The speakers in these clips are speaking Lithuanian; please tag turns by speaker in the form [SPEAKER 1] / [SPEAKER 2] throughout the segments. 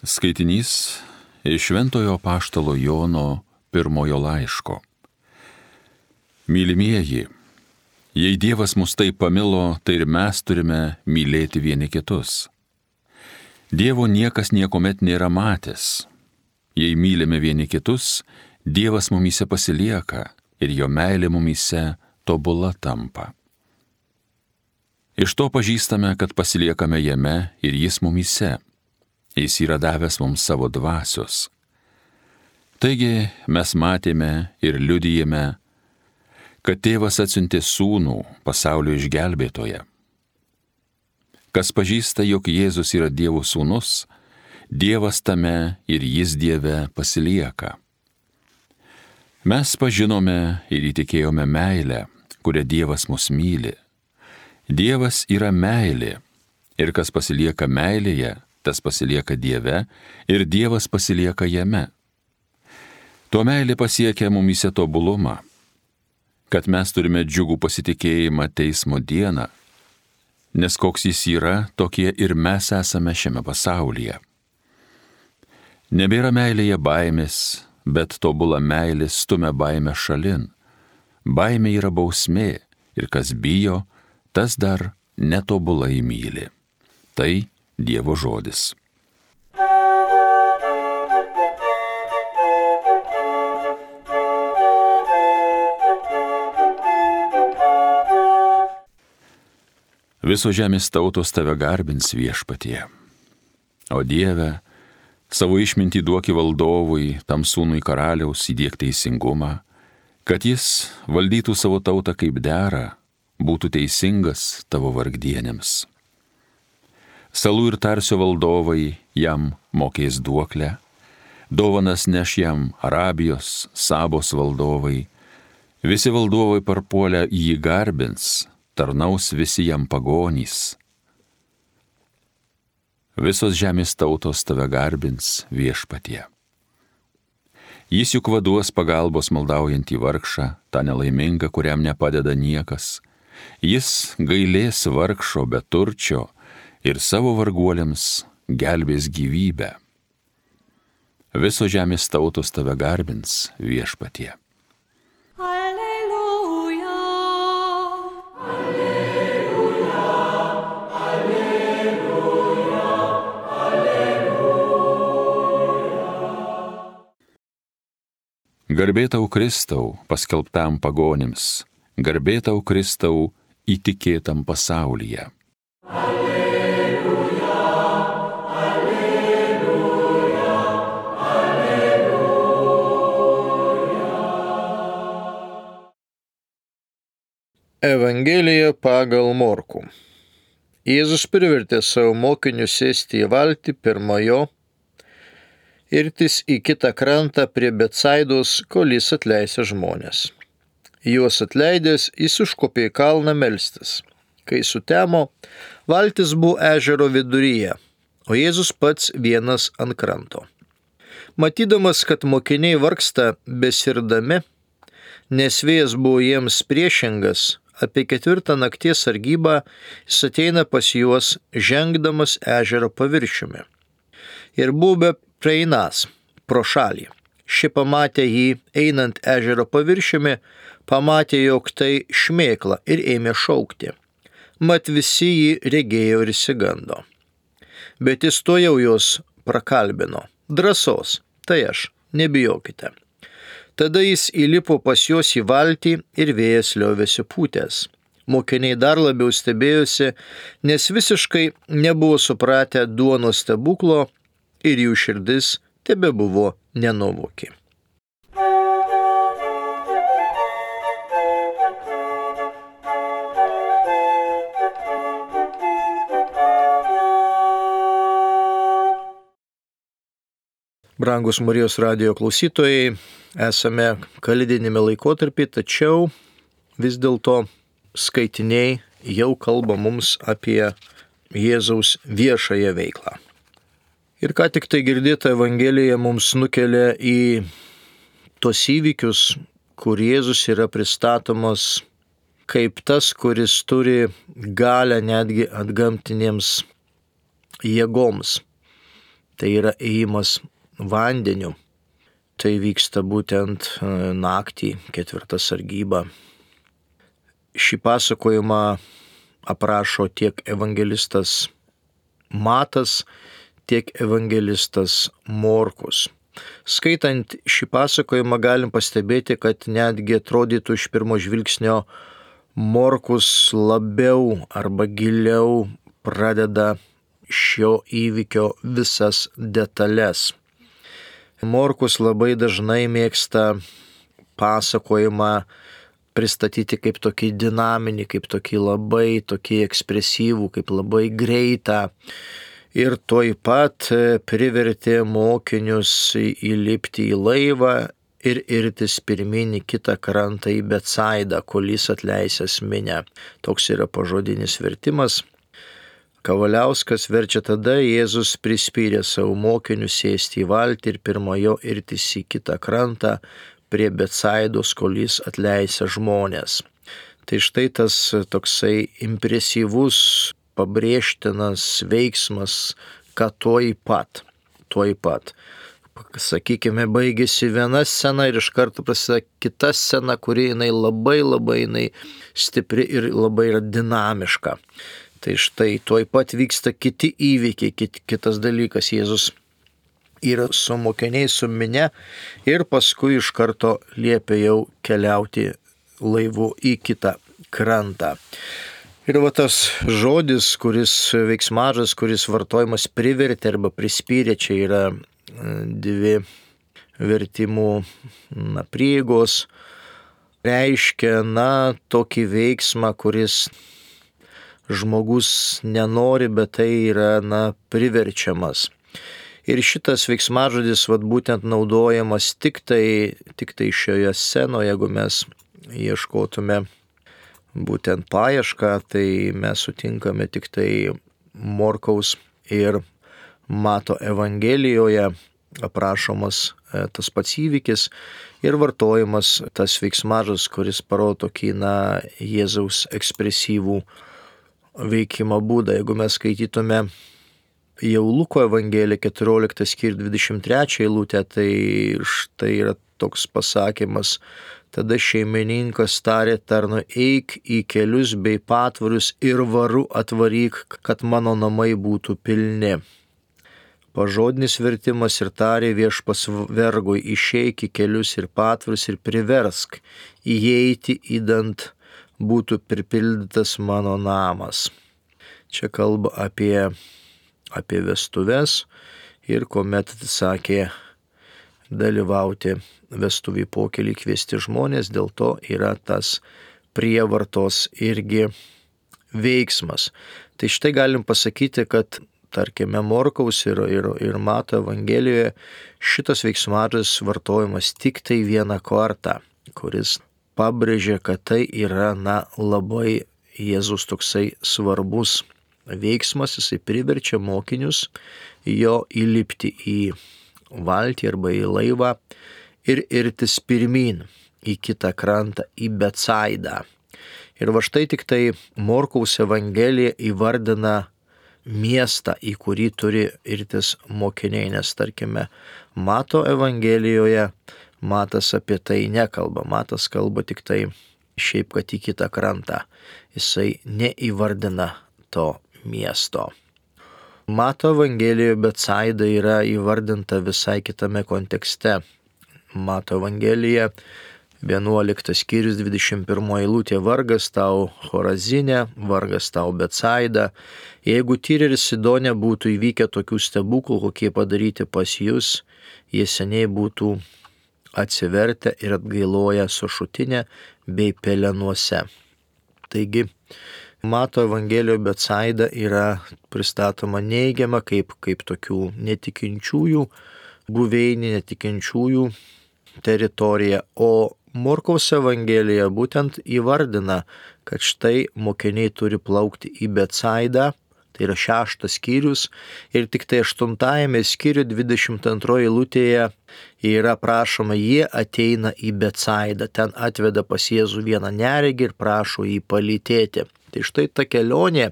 [SPEAKER 1] Skaitinys iš Šventojo Apaštalo Jono pirmojo laiško. Mylimieji, jei Dievas mus taip pamilo, tai ir mes turime mylėti vieni kitus. Dievo niekas niekuomet nėra matęs. Jei mylime vieni kitus, Dievas mumyse pasilieka ir jo meilė mumyse tobula tampa. Iš to pažįstame, kad pasiliekame jame ir jis mumyse. Jis yra davęs mums savo dvasios. Taigi mes matėme ir liudijame, kad Tėvas atsiuntė Sūnų pasaulio išgelbėtoją. Kas pažįsta, jog Jėzus yra Dievo Sūnus, Dievas tame ir jis Dieve pasilieka. Mes pažinome ir įtikėjome meilę, kurią Dievas mus myli. Dievas yra meilė, ir kas pasilieka meilėje, tas pasilieka Dieve, ir Dievas pasilieka jame. Tuo meilė pasiekia mumyse tobulumą, kad mes turime džiugų pasitikėjimą teismo dieną, nes koks jis yra, tokie ir mes esame šiame pasaulyje. Nebėra meilėje baimės, bet tobula meilė stumia baimę šalin. Baimė yra bausmė, ir kas bijo, tas dar netobulai myli. Tai Dievo žodis. Visos žemės tautos tave garbins viešpatie. O Dieve, savo išmintį duoki valdovui, tam sūnui karaliaus įdiek teisingumą, kad jis valdytų savo tautą kaip dera, būtų teisingas tavo vargdienėms. Salų ir Tarsio valdovai jam mokės duoklę, dovanas neš jam Arabijos, Sabos valdovai, visi valdovai parpuolę jį garbins, tarnaus visi jam pagonys. Visos žemės tautos tave garbins viešpatie. Jis juk vaduos pagalbos maldaujantį vargšą, tą nelaimingą, kuriam nepadeda niekas. Jis gailės vargšo beturčio ir savo varguoliams gelbės gyvybę. Visos žemės tautos tave garbins viešpatie.
[SPEAKER 2] Alleluja, alleluja, alleluja, alleluja.
[SPEAKER 1] Garbė tau Kristau, paskelbtam pagonims, garbė tau Kristau, įtikėtam pasaulyje.
[SPEAKER 3] Evangelija pagal Morkų. Jėzus privertė savo mokinius sėsti į valtį pirmojo, irtis į kitą krantą prie Betsaidos, kol jis atleisė žmonės. Juos atleidęs, jis užkopė į kalną melstis. Kai sutemo, valtis buvo ežero viduryje, o Jėzus pats vienas ant kranto. Matydamas, kad mokiniai vargsta besirdami, nes vėjas buvo jiems priešingas, apie 4 nakties sargybą jis ateina pas juos, žengdamas ežero paviršiumi. Ir buvo praeinas pro šalį. Ši pamatė jį einant ežero paviršiumi, pamatė, jog tai šmėkla ir ėmė šaukti. Mat visi jį regėjo ir išsigando. Bet jis tuojau juos prakalbino. Drąsos, tai aš, nebijokite. Tada jis įlipo pas juos į valtį ir vėjas liovėsi pūtęs. Mokiniai dar labiau stebėjosi, nes visiškai nebuvo supratę duonos stebuklo ir jų širdis tebebuvo nenuovoki. Brangus Marijos radijo klausytojai, esame kalėdinėme laikotarpį, tačiau vis dėlto skaitiniai jau kalba mums apie Jėzaus viešąją veiklą. Ir ką tik tai girdėta Evangelija mums nukelia į tos įvykius, kur Jėzus yra pristatomas kaip tas, kuris turi galę netgi antgamtinėms jėgoms. tai yra ėjimas vandeniu. Tai vyksta būtent naktį, 4 sargyba. Šį pasakojimą aprašo tiek evangelistas Matas, tiek evangelistas Morkus. Skaitant šį pasakojimą galim pastebėti, kad netgi atrodytų iš pirmo žvilgsnio Morkus labiau arba giliau pradeda šio įvykio visas detalės. Morkus labai dažnai mėgsta pasakojimą pristatyti kaip tokį dinaminį, kaip tokį labai tokį ekspresyvų, kaip labai greitą. Ir tuoj pat privertė mokinius įlipti į laivą ir irtis pirmin į kitą krantą į Betsaidą, kol jis atleisęs minią. Toks yra pažodinis vertimas. Kavaliauskas verčia tada: Jėzus prispyrė savo mokinius sėsti į valtį ir pirmojo irtis į kitą krantą prie Betsaidos, kol jis atleisė žmonės. Tai štai tas toksai impresyvus, pabrėžtinas veiksmas, kad tuoj pat. Sakykime, baigėsi viena scena ir iš karto prasideda kita scena, kuri jinai labai jinai stipri ir labai yra dinamiška. Tai štai tuoj pat vyksta kiti įvykiai, kitas dalykas. Jėzus yra su mokiniais, su minia ir paskui iš karto liepia jau keliauti laivu į kitą krantą. Ir va tas žodis, veiksmažas, kuris vartojimas privertė arba prispyrė, čia yra 2 vertimų prieigos, reiškia tokį veiksmą, kuris žmogus nenori, bet tai yra priverčiamas. Ir šitas veiksmažodis būtent naudojamas tik tai šioje scenoje. Jeigu mes ieškotume būtent paiešką, tai mes sutinkame tik tai Morkaus ir Mato Evangelijoje aprašomas tas pats įvykis ir vartojamas tas veiksmažodis, kuris parodo tokį Jėzaus ekspresyvų veikimo būdą. Jeigu mes skaitytume jau Luko Evangeliją 14 skyrių 23 eilutę, tai štai yra toks pasakymas: tada šeimininkas tarė tarnui: eik į kelius bei patvarius ir varu atvaryk, kad mano namai būtų pilni. Pažodinis vertimas: ir tarė viešpas vergui: išeik į kelius ir patvarius ir priversk įeiti, idant būtų pripildytas mano namas. Čia kalba apie vestuves ir kuomet atsisakė dalyvauti vestuvių pokelį kviesti žmonės, dėl to yra tas prievartos irgi veiksmas. Tai štai galim pasakyti, kad tarkime Morkaus ir Mato Evangelijoje šitas veiksmažodis vartojamas tik tai vieną kartą, kuris pabrėžia, kad tai yra labai Jėzus toksai svarbus veiksmas. Jisai priverčia mokinius jo įlipti į valtį arba į laivą ir irtis pirmin į kitą krantą, į Betsaidą. Ir va štai tik tai Morkaus Evangelija įvardina miestą, į kurį turi irtis mokiniai, nes tarkime Mato Evangelijoje Matas apie tai nekalba. Matas kalba tik tai šiaip, kad į kitą krantą. Jisai neįvardina to miesto. Mato Evangelijoje Betsaida yra įvardinta visai kitame kontekste. Mato Evangelija 11 skyrius 21 eilutė: vargas tau Chorazinė, vargas tau Betsaida. Jeigu Tyre ir Sidone būtų įvykę tokių stebuklų, kokie padaryti pas jūs, jie seniai būtų atsivertę ir atgailoję sušutinę bei pelenuose. Taigi, Mato Evangelijoje Betsaida yra pristatoma neigiama kaip tokių netikinčiųjų buveinė, netikinčiųjų teritorija, o Morkaus Evangelija būtent įvardina, kad štai mokiniai turi plaukti į Betsaidą. Tai yra 6 skyrius ir tik tai 8 skyriuje 22 eilutėje yra prašoma: jie ateina į Betsaidą. Ten atveda pas Jėzų vieną neregį ir prašo jį palytėti. Tai štai ta kelionė,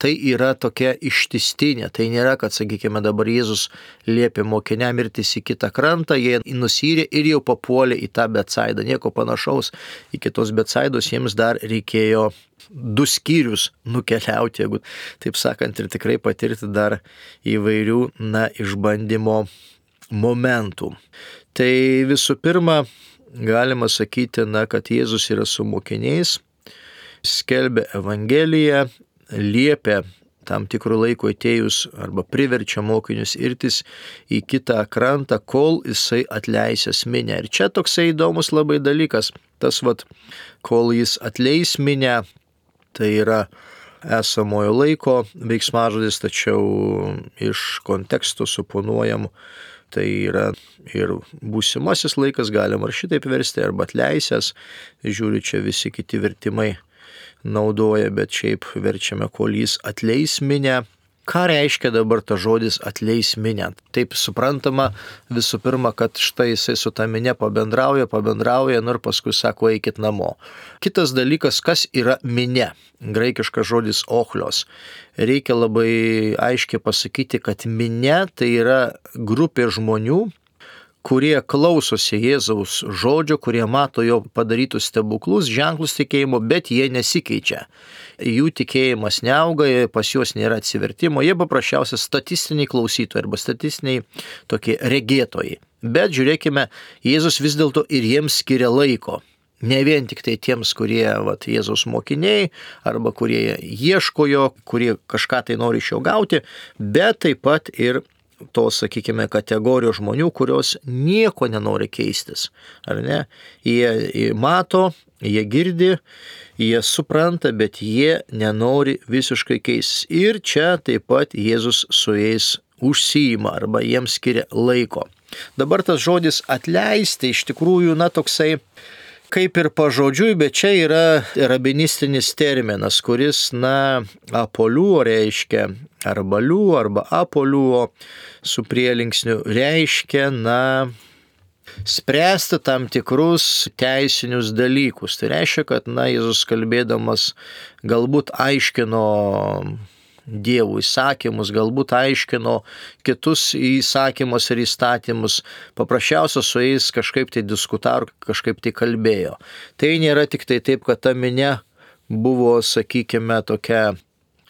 [SPEAKER 3] tai yra tokia ištistinė. Tai nėra, kad, sakykime, dabar Jėzus liepė mokiniam irtis į kitą krantą, jie nusyrė ir jau papuolė į tą Betsaidą. Nieko panašaus. Iki tos Betsaidos jiems dar reikėjo 2 skyrius nukeliauti, jeigu taip sakant, ir tikrai patirti dar įvairių, išbandymo momentų. Tai visų pirma, galima sakyti, kad Jėzus yra su mokiniais, skelbia Evangeliją, liepia tam tikrų laiko atėjus arba priverčia mokinius irtis į kitą krantą, kol jisai atleisęs minią. Ir čia toksai įdomus labai dalykas, kol jis atleis minią, tai yra esamojo laiko veiksmažodis, tačiau iš konteksto suponuojam, tai yra ir būsimasis laikas, galima ar šitaip versti, arba atleisęs, žiūri, čia visi kiti vertimai naudoja, bet šiaip verčiame, kol jis atleis minią. Ką reiškia dabar tas žodis atleis minią? Taip suprantama visų pirma, kad štai jisai su ta minia pabendrauja, ir paskui sako, eikit namo. Kitas dalykas, kas yra minia? Graikiškas žodis ochlios. Reikia labai aiškiai pasakyti, kad minia tai yra grupė žmonių, kurie klausosi Jėzaus žodžio, kurie mato jo padarytus stebuklus, ženklus tikėjimo, bet jie nesikeičia. Jų tikėjimas neauga, pas juos nėra atsivertimo, jie paprasčiausiai statistiniai klausytojai arba statistiniai tokie regėtojai. Bet žiūrėkime, Jėzus vis dėlto ir jiems skiria laiko. Ne vien tik tai tiems, kurie Jėzaus mokiniai, arba kurie ieško jo, kurie kažką tai nori iš jo gauti, bet taip pat ir tos, sakykime, kategorijos žmonių, kurios nieko nenori keistis. Ar ne? Jie mato, jie girdi, jie supranta, bet jie nenori visiškai keistis. Ir čia taip pat Jėzus su jais užsiima arba jiems skiria laiko. Dabar tas žodis atleisti iš tikrųjų, toksai kaip ir pažodžiui, bet čia yra rabinistinis terminas, kuris, apoliuo reiškia, arba liuo, arba apoliuo su prielinksniu reiškia, spręsti tam tikrus teisinius dalykus. Tai reiškia, kad, Jėzus kalbėdamas galbūt aiškino Dievo įsakymus, galbūt aiškino kitus įsakymus ir įstatymus, paprasčiausia su jais kažkaip tai diskutavo, kažkaip tai kalbėjo. Tai nėra tik tai taip, kad ta minia buvo, sakykime, tokia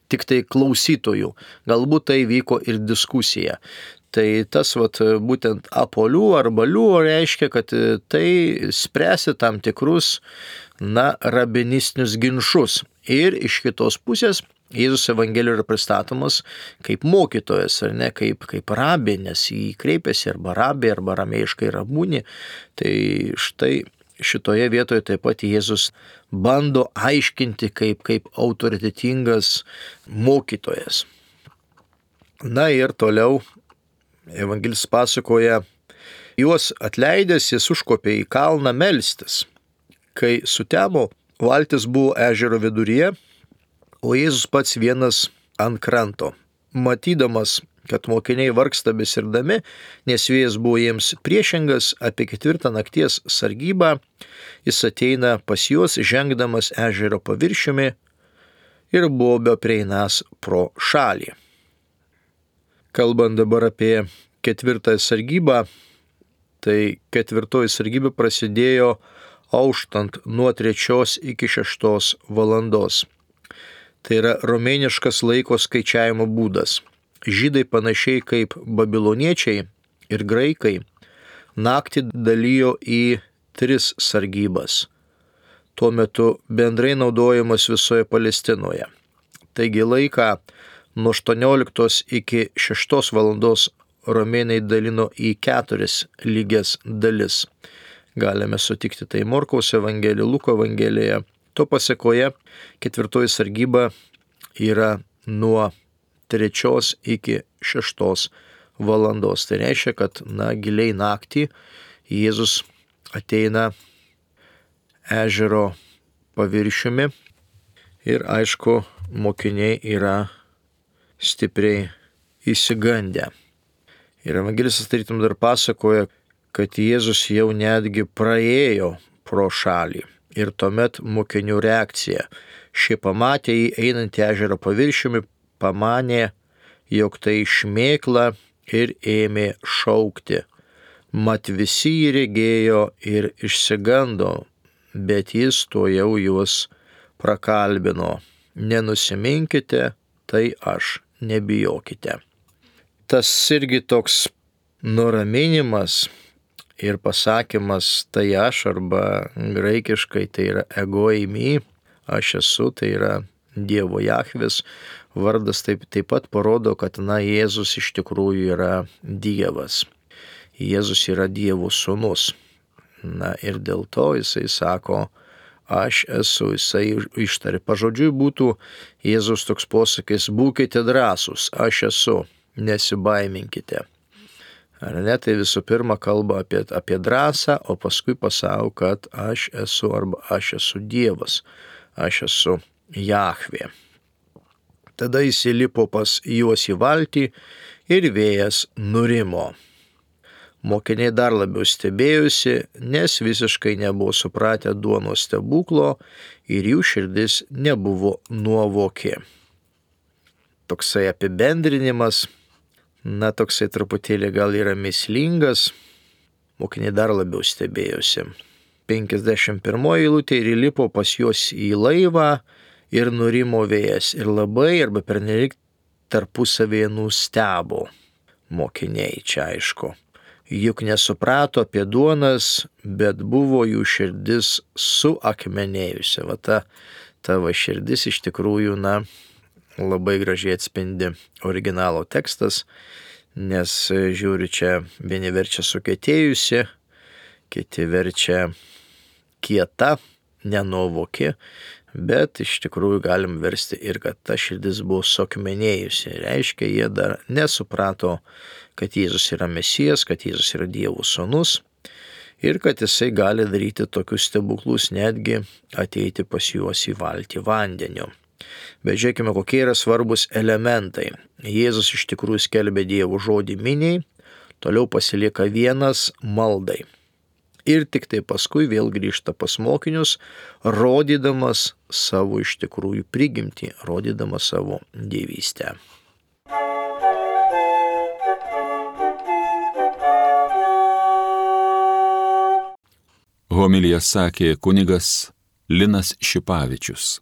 [SPEAKER 3] tik tai klausytojų, galbūt tai vyko ir diskusija. Tai tas būtent apolių arba liuo reiškia, kad tai spręsi tam tikrus, rabinistinius ginčus. Ir iš kitos pusės Jėzus Evangelijoje yra pristatomas kaip mokytojas, ar ne, kaip rabė, nes jį kreipiasi arba rabė, arba ramėjiškai rabūni. Tai štai šitoje vietoje taip pat Jėzus bando aiškinti kaip autoritetingas mokytojas. Ir toliau Evangelis pasakoja, juos atleidęs jis užkopė į kalną melstis. Kai sutemo, valtis buvo ežero viduryje, o Jėzus pats vienas ant kranto. Matydamas, kad mokiniai vargsta besirdami, nes vėjas buvo jiems priešingas, apie 4 nakties sargybą, jis ateina pas juos, žengdamas ežero paviršiumi ir buvo beprieinas pro šalį. Kalbant dabar apie 4 sargybą, tai 4 sargyba prasidėjo auštant nuo 3 iki 6 valandos. Tai yra romėniškas laiko skaičiavimo būdas. Žydai panašiai kaip babiloniečiai ir graikai naktį dalijo į 3 sargybas. Tuo metu bendrai naudojamas visoje Palestinoje. Taigi laiką nuo 18 iki 6 valandos romėnai dalino į 4 lygias dalis. Galime sutikti tai Morkaus Evangelijoje, Luko Evangelijoje. To pasekoje 4 sargyba yra nuo 3 iki 6 valandos. Tai reiškia, kad giliai naktį Jėzus ateina ežero paviršiumi ir aišku, mokiniai yra stipriai įsigandę. Ir evangelistas tarytum dar pasakoja, kad Jėzus jau netgi praėjo pro šalį. Ir tuomet mokinių reakcija. Šie pamatė jį einantį ežero paviršiumi, pamanė, jog tai šmėkla ir ėmė šaukti. Mat visi jį regėjo ir išsigando, bet jis tuojau juos prakalbino. Nenusiminkite, tai aš, nebijokite. Tas irgi toks nuraminimas ir pasakymas tai aš, arba graikiškai tai yra ego eimi, aš esu, tai yra Dievo Jahvės vardas, taip pat parodo, kad Jėzus iš tikrųjų yra Dievas. Jėzus yra Dievo sūnus. Ir dėl to jisai sako, aš esu, jisai ištarė. Pažodžiui būtų Jėzus toks posakis, būkite drąsūs, aš esu, nesibaiminkite. Ar ne, tai visų pirma kalba apie drąsą, o paskui pasako, kad aš esu, arba aš esu Dievas, aš esu Jahvė. Tada jis įlipo pas juos į valtį ir vėjas nurimo. Mokiniai dar labiau stebėjusi, nes visiškai nebuvo supratę duonos stebuklo ir jų širdis nebuvo nuovoki. Toksai apibendrinimas, toksai truputėlį gal yra mįslingas, mokiniai dar labiau stebėjusi. 51 eilutė ir įlipo pas juos į laivą ir nurimo vėjas ir labai arba pernelyg tarpusavėje nustebo mokiniai, čia aišku. Juk nesuprato apie duonas, bet buvo jų širdis suakmenėjusi. Va ta tavo širdis iš tikrųjų, labai gražiai atspindi originalo tekstas, nes žiūriu, čia vieni verčia sukietėjusi, kiti verčia kieta, nenuovoki, bet iš tikrųjų galim versti ir kad ta širdis buvo suakmenėjusi. Reiškia, jie dar nesuprato, kad Jėzus yra Mesijas, kad Jėzus yra Dievo sūnus ir kad jisai gali daryti tokius stebuklus, netgi ateiti pas juos į valtį vandeniu. Bet žiūrėkime, kokie yra svarbus elementai. Jėzus iš tikrųjų skelbia Dievo žodį miniai, toliau pasilieka vienas maldai. Ir tik tai paskui vėl grįžta pas mokinius, rodydamas savo iš tikrųjų prigimtį, rodydamas savo dievystę.
[SPEAKER 1] Homiliją sakė kunigas Linas Šipavičius.